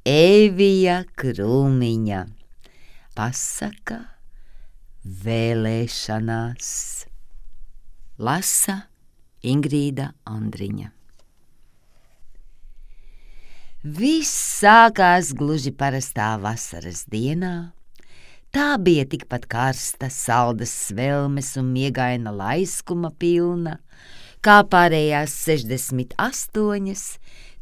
Evija Krūmiņa. Pasaka vēlēšanās. Lasa Ingrīda Andriņa. Viss sākās gluži parastā vasaras dienā. Tā bija tikpat karsta, saldas svelmes un miegaina laiskuma pilna, kā pārējās 68,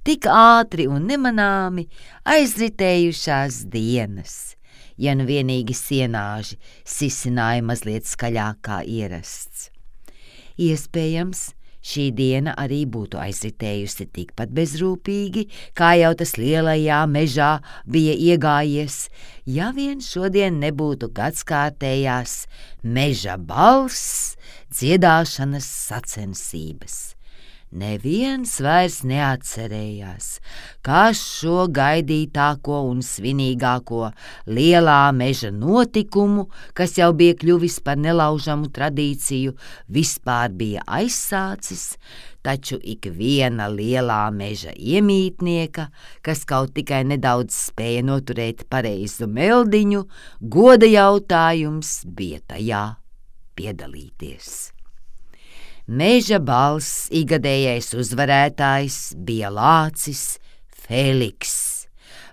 tik ātri un nemanāmi aizritējušās dienas, ja nu vienīgi sienāži sisināja mazliet skaļāk kā ierasts. Iespējams, šī diena arī būtu aizritējusi tikpat bezrūpīgi, kā jau tas lielajā mežā bija iegājies, ja vien šodien nebūtu gadskārtējās meža balss dziedāšanas sacensības. Neviens vairs neatcerējās, kā šo gaidītāko un svinīgāko lielā meža notikumu, kas jau bija kļuvis par nelaužamu tradīciju, vispār bija aizsācis, taču ik viena lielā meža iemītnieka, kas kaut tikai nedaudz spēja noturēt pareizu meldiņu, goda jautājums bija tajā piedalīties. Meža balss igadējais uzvarētājs bija lācis Feliks.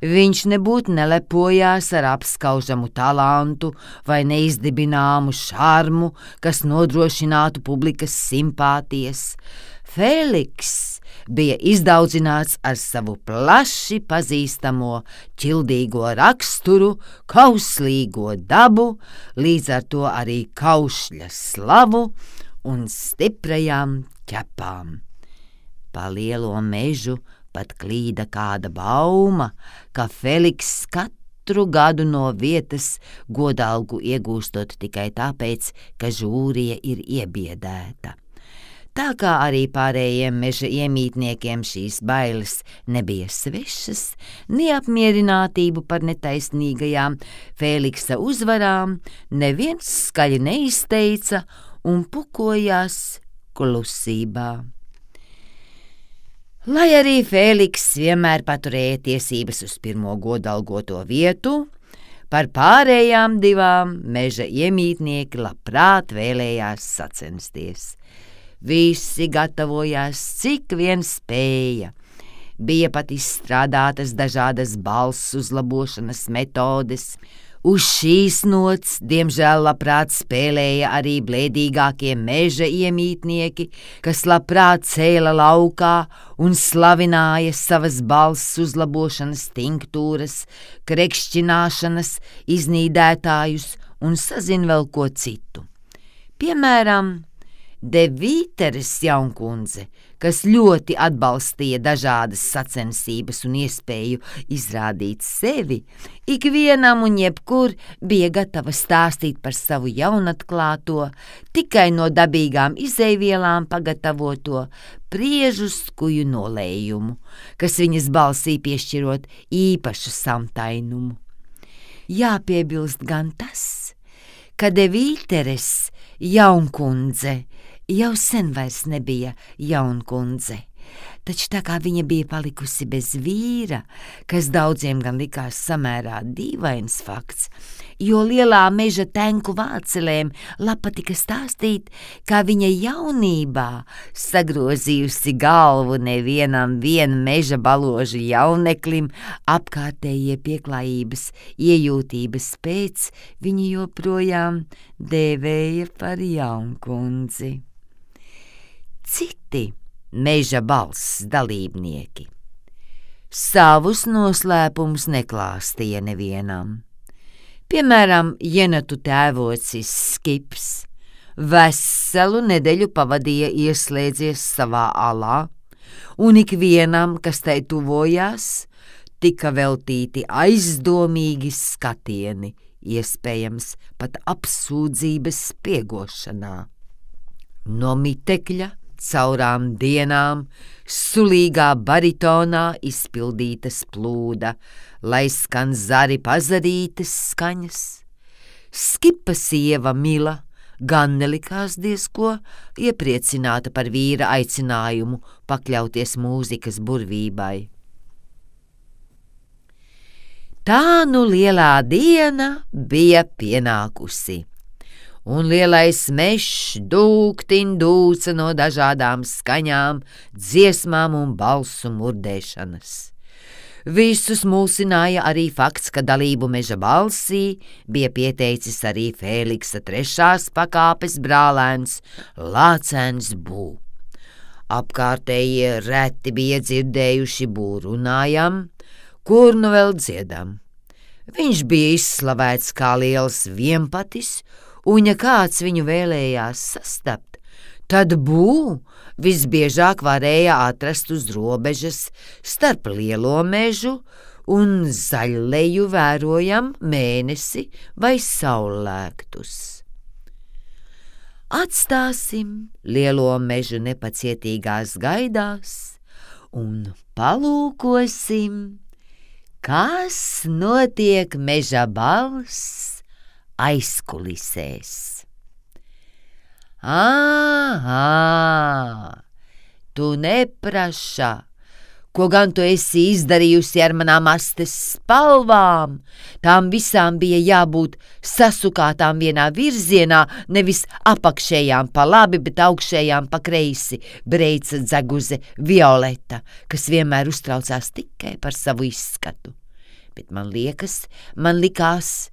Viņš nebūtu nelepojās ar apskaužamu talantu vai neizdibināmu šarmu, kas nodrošinātu publikas simpātijas. Feliks bija izdaudzināts ar savu plaši pazīstamo ķildīgo raksturu, kauslīgo dabu, līdz ar to arī kaušļa slavu un stiprajām ķepām. Pa lielo mežu pat klīda kāda bauma, ka Feliks katru gadu no vietas godalgu iegūstot tikai tāpēc, ka žūrija ir iebiedēta. Tā kā arī pārējiem meža iemītniekiem šīs bailes nebija svešas, neapmierinātību par netaisnīgajām Feliksa uzvarām neviens skaļi neizteica un pukojās klusībā. Lai arī Feliks vienmēr paturēja tiesības uz pirmo godalgoto vietu, par pārējām divām meža iemītnieki labprāt vēlējās sacensties. Visi gatavojās, cik vien spēja. Bija pat izstrādātas dažādas balss uzlabošanas metodes. Uz šīs nots, diemžēl, labprāt spēlēja arī blēdīgākie meža iemītnieki, kas labprāt cēla laukā un slavināja savas balss uzlabošanas tinktūras, krekšķināšanas iznīdētājus un sazin vēl ko citu. Piemēram, De Vīteres jaunkundze, kas ļoti atbalstīja dažādas sacensības un iespēju izrādīt sevi, ikvienam un jebkur bija gatava stāstīt par savu jaunatklāto, tikai no dabīgām izejvielām pagatavoto priežu skuju nolējumu, kas viņas balsī piešķirot īpašu samtainumu. Jāpiebilst gan tas, ka De Vīteres jaunkundze jau sen vairs nebija jaunkundze, taču tā kā viņa bija palikusi bez vīra, kas daudziem gan likās samērā dīvains fakts, jo lielā meža tenku vācelēm patika stāstīt, kā viņa jaunībā sagrozījusi galvu nevienam meža baložu jauneklim, apkārtējie pieklājības iejūtības pēc viņu joprojām dēvēja par jaunkundzi. Citi meža balss dalībnieki savus noslēpumus neklāstīja nevienam. Piemēram, Jenatu tēvocis Skips veselu nedēļu pavadīja ieslēdzies savā alā, un ikvienam, kas tai tuvojās, tika veltīti aizdomīgi skatieni, iespējams pat apsūdzības spiegošanā. No mitekļa caurām dienām sulīgā baritonā izpildītas plūda, lai skan zari pazarītas skaņas. Skipa sieva Mila gan nelikās diezko iepriecināta par vīra aicinājumu pakļauties mūzikas burvībai. Tā nu lielā diena bija pienākusi, un lielais mežs dūktin dūca no dažādām skaņām, dziesmām un balsu murdēšanas. Visus mulsināja arī fakts, ka dalību meža balsī bija pieteicis arī Fēliksa 3. pakāpes brālēns Lācens Bū. Apkārtējie reti bija dzirdējuši Bū runājam, kur nu vēl dziedam. Viņš bija izslavēts kā liels vienpatis, un ja kāds viņu vēlējās sastapt, tad Bū visbiežāk varēja atrast uz robežas starp lielo mežu un zaļleju vērojam mēnesi vai saulēktus. Atstāsim lielo mežu nepacietīgās gaidās un palūkosim, kas notiek meža balss aizkulisēs. Tu nepraša, ko gan tu esi izdarījusi ar manām astes spalvām? Tām visām bija jābūt sasukātām vienā virzienā, nevis apakšējām pa labi, bet augšējām pa kreisi, breica dzeguze Violeta, kas vienmēr uztraucās tikai par savu izskatu. Bet man likās,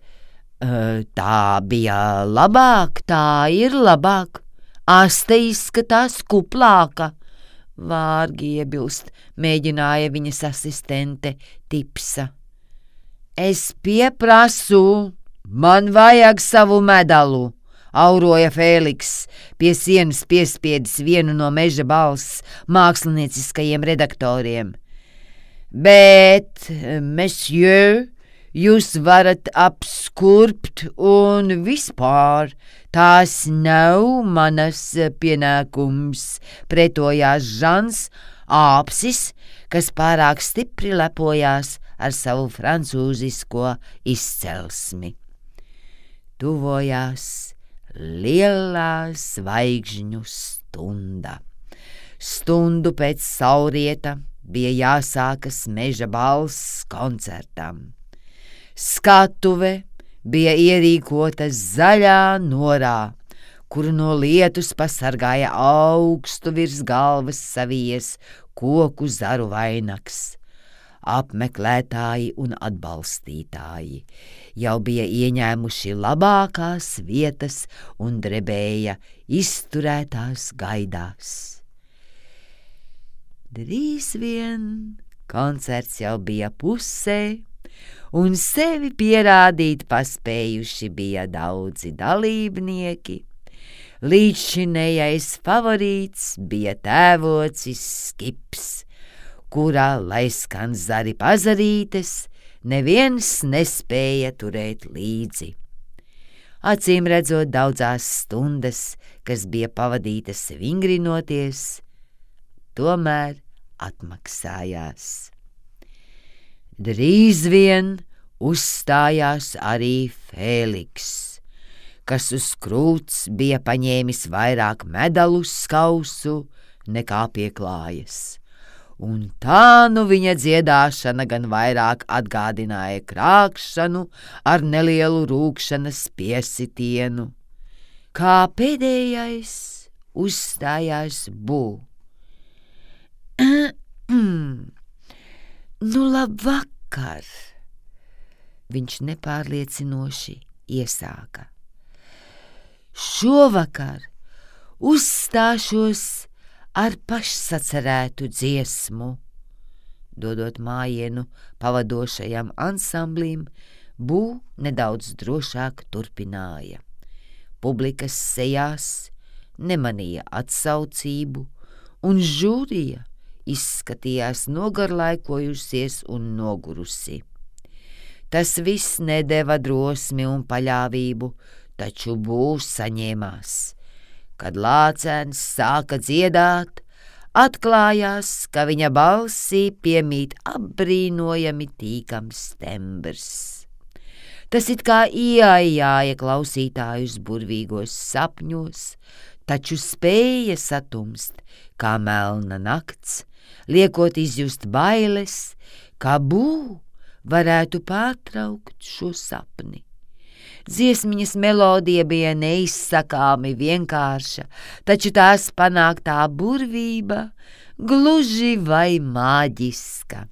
tā bija labāk, tā ir labāk. Aste izskatās kuplāka, vārgi iebilst, mēģināja viņas asistente Tipsa. Es pieprasu, man vajag savu medalu, auroja Fēliks, pie sienas piespiedis vienu no meža balss mākslinieciskajiem redaktoriem. Bet, monsieur, jūs varat apskurbt un vispār, tās nav manas pienākums, pretojās Žans Āpsis, kas pārāk stipri lepojās ar savu francūzisko izcelsmi. Tuvojās lielā zvaigžņu stunda. Stundu pēc saulrieta bija jāsākas meža balss koncertam. Skatuve bija ierīkota zaļā norā, kuru no lietus pasargāja augstu virs galvas savies koku zaru vainags. Apmeklētāji un atbalstītāji jau bija ieņēmuši labākās vietas un drebēja izturētās gaidās. Drīz vien koncerts jau bija pusē, un sevi pierādīt paspējuši bija daudzi dalībnieki. Līdzšinējais favorīts bija tēvocis Skips, kurā, lai skan zari pazarītes, neviens nespēja turēt līdzi. Acīm redzot, daudzās stundas, kas bija pavadītas vingrinoties, tomēr atmaksājās. Drīz vien uzstājās arī Fēliks, kas uz krūts bija paņēmis vairāk medalu skausu nekā pie klājas, un tā nu viņa dziedāšana gan vairāk atgādināja krākšanu ar nelielu rūkšanas piesitienu. Kā pēdējais uzstājās Bū. Nu, labvakar, viņš nepārliecinoši iesāka. Šovakar uzstāšos ar pašsacerētu dziesmu. Dodot mājienu pavadošajam ansamblim, Bū nedaudz drošāk turpināja. Publikas sejās nemanīja atsaucību, un žūrija izskatījās nogarlaikojusies un nogurusi. Tas viss nedeva drosmi un paļāvību, taču Bū saņēmās. Kad Lācens sāka dziedāt, atklājās, ka viņa balsī piemīt apbrīnojami tīkams tembrs. Tas it kā ieaijāja klausītājus burvīgos sapņos, taču spēja satumst kā melna nakts, liekot izjust bailes, kā Bū varētu pārtraukt šo sapni. Dziesmiņas melodija bija neizsakāmi vienkārša, taču tās panāktā burvība gluži vai maģiska.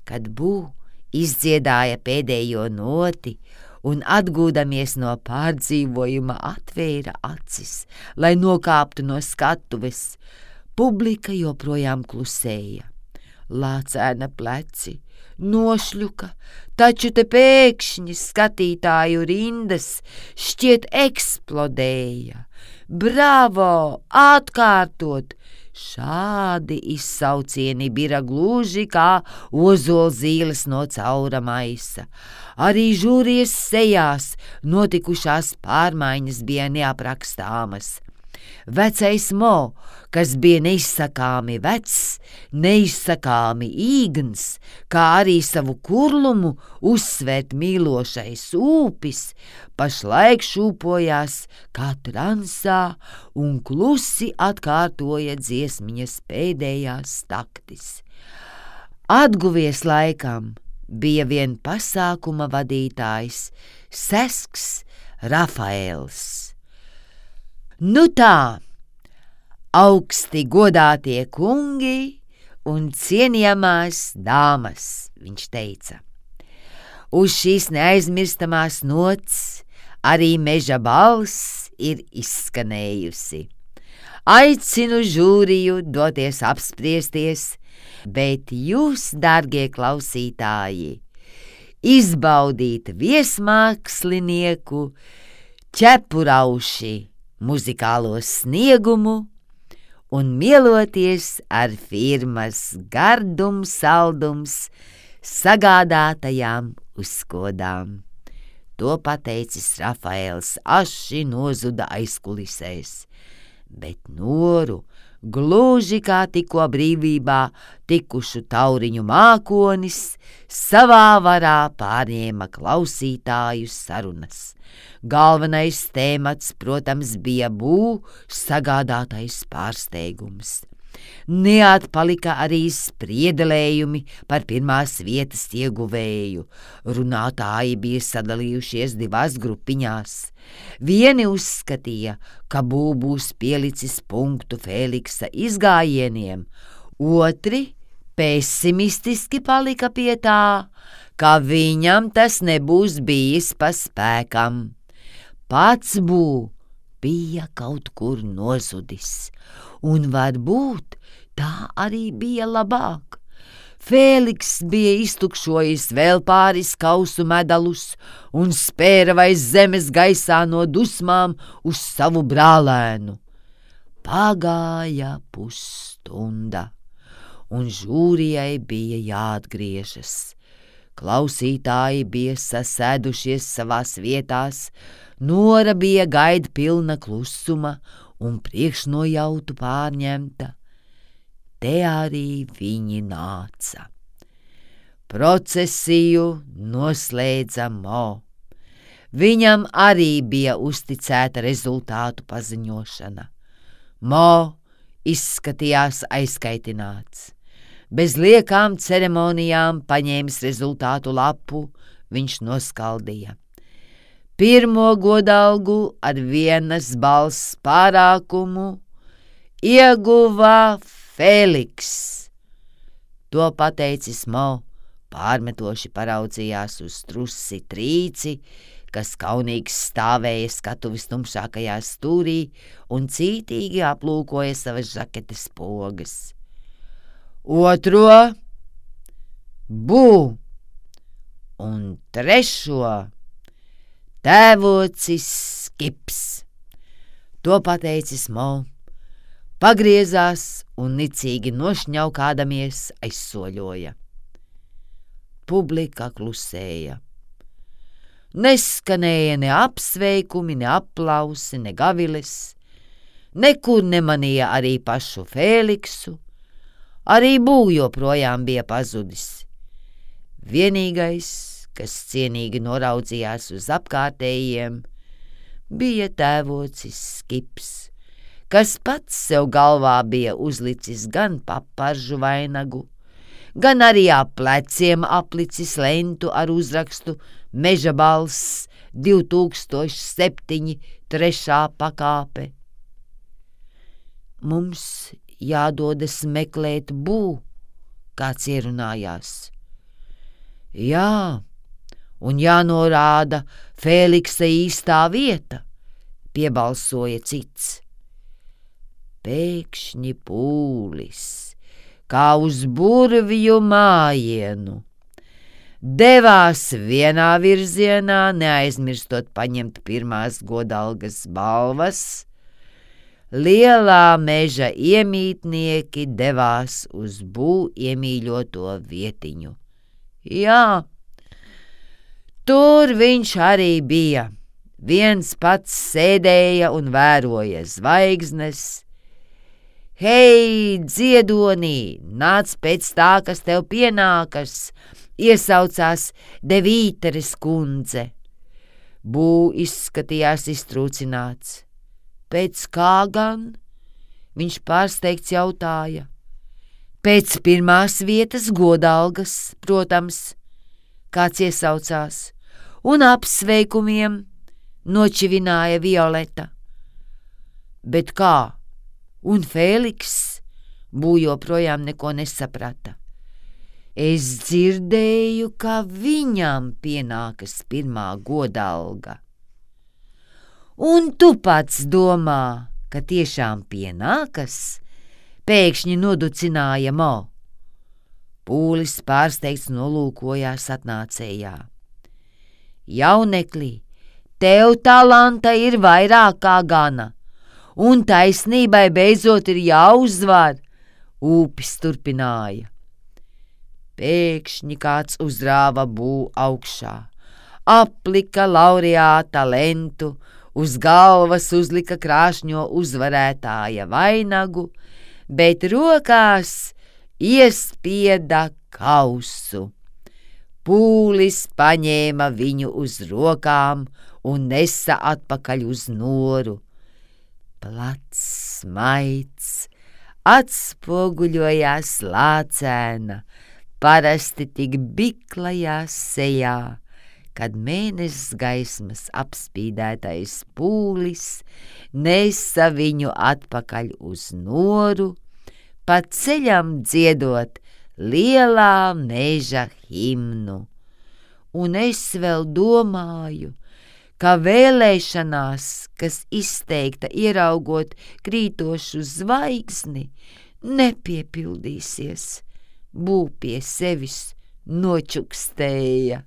Kad Bū izdziedāja pēdējo noti un atgūdamies no pārdzīvojuma atvēra acis, lai nokāptu no skatuves, publika joprojām klusēja. Lācēna pleci nošļuka, taču te pēkšņi skatītāju rindas šķiet eksplodēja. Bravo! Atkārtot! Šādi izsaucieni bija gluži kā ozolzīles no caura maisa. Arī žūrijas sejās notikušās pārmaiņas bija neaprakstāmas. Vecais Mo, kas bija neizsakāmi vecs, neizsakāmi īgns, kā arī savu kurlumu uzsvērt mīlošais ūpis, pašlaik šūpojās kā transā un klusi atkārtoja dziesmiņas pēdējās taktis. Atguvies laikam bija vien pasākuma vadītājs Sesks Rafaels. Nu tā, augsti godātie kungi un cienījamās dāmas, viņš teica. Uz šīs neaizmirstamās nots arī meža balss ir izskanējusi. Aicinu žūriju doties apspriesties, bet jūs, dārgie klausītāji, izbaudīt viesmākslinieku Ķepurauši muzikālo sniegumu un mieloties ar firmas gardums saldums sagādātajām uzkodām. To pateicis Rafaels aši nozuda aizkulisēs, bet Noru, gluži kā tikko brīvībā tikušu tauriņu mākonis, savā varā pārņēma klausītāju sarunas. Galvenais tēmats, protams, bija Bū sagādātais pārsteigums. Neatpalika arī spriedelējumi par pirmās vietas ieguvēju. Runātāji bija sadalījušies divās grupiņās. Vieni uzskatīja, ka Bū būs pielicis punktu Feliksa izgājieniem, otri pesimistiski palika pie tā, ka viņam tas nebūs bijis pa spēkam. Pats Bū bija kaut kur nozudis, un varbūt tā arī bija labāk. Fēliks bija iztukšojis vēl pāris kausu medalus un spēra vairs zemes gaisā no dusmām uz savu brālēnu. Pagāja pusstunda, un žūrijai bija jāatgriežas. Klausītāji bija sasēdušies savās vietās, Nora bija gaida pilna klusuma un priekšnojautu pārņemta. Te arī viņi nāca. Procesiju noslēdza Mo. Viņam arī bija uzticēta rezultātu paziņošana. Mo izskatījās aizkaitināts. Bez liekām ceremonijām paņēmis rezultātu lapu, viņš noskaldīja. Pirmo godalgu ar vienas balss pārākumu ieguva Fēliks. To pateicis Mo, pārmetoši paraudzījās uz trusi Trīci, kas kaunīgs stāvēja skatuves tumšākajā stūrī un cītīgi aplūkoja savas žaketes pogas. Otro Bū un trešo tēvocis Skips. To pateicis Mo, pagriezās un nicīgi nošņaukādamies aizsoļoja. Publika klusēja. Neskanēja ne apsveikumi, ne aplausi, ne gaviles, nekur nemanīja arī pašu Fēliksu, arī Bū joprojām bija pazudis. Vienīgais, kas cienīgi noraudzījās uz apkārtējiem, bija tēvocis Skips, kas pats sev galvā bija uzlicis gan paparžu vainagu, gan arī ap pleciem aplicis lentu ar uzrakstu Meža balss 2007 3. pakāpe. Mums jādodas meklēt Bū, kāds ierunājās. Jā, un jānorāda Fēliksa īstā vieta, piebalsoja cits. Pēkšņi Pūlis, kā uz burvju mājienu, devās vienā virzienā, neaizmirstot paņemt pirmās godalgas balvas. Lielā meža iemītnieki devās uz Bū iemīļoto vietiņu. Jā, tur viņš arī bija. Viens pats sēdēja un vēroja zvaigznes. Hei, dziedonī, nāc pēc tā, kas tev pienākas, iesaucās Devīteres kundze. Bū izskatījās iztrūcināts. Pēc kā gan? Viņš pārsteigts jautāja. Pēc pirmās vietas godalgas, protams, kāds iesaucās, un apsveikumiem, nočivināja Violeta. Bet kā? Un Fēliks? Bū joprojām neko nesaprata. Es dzirdēju, ka viņam pienākas pirmā godalga. Un tu pats domā, ka tiešām pienākas? Pēkšņi noducināja Mo. Pūlis pārsteigts nolūkojās atnācējā. Jaunekli, tev talanta ir vairāk kā gana, un taisnībai beidzot ir jāuzvar, Ūpis turpināja. Pēkšņi kāds uzrāva Bū augšā, aplika laureāta lentu, uz galvas uzlika krāšņo uzvarētāja vainagu, bet rokās iespieda kausu. Pūlis paņēma viņu uz rokām un nesa atpakaļ uz noru. Plats smaids atspoguļojās lācēna, parasti tik biklajā sejā, kad mēnesis gaismas apspīdētais Pūlis nesa viņu atpakaļ uz noru, pa ceļam dziedot lielā meža himnu. Un es vēl domāju, ka vēlēšanās, kas izteikta ieraugot krītošu zvaigzni, nepiepildīsies. Bū pie sevis nočukstēja.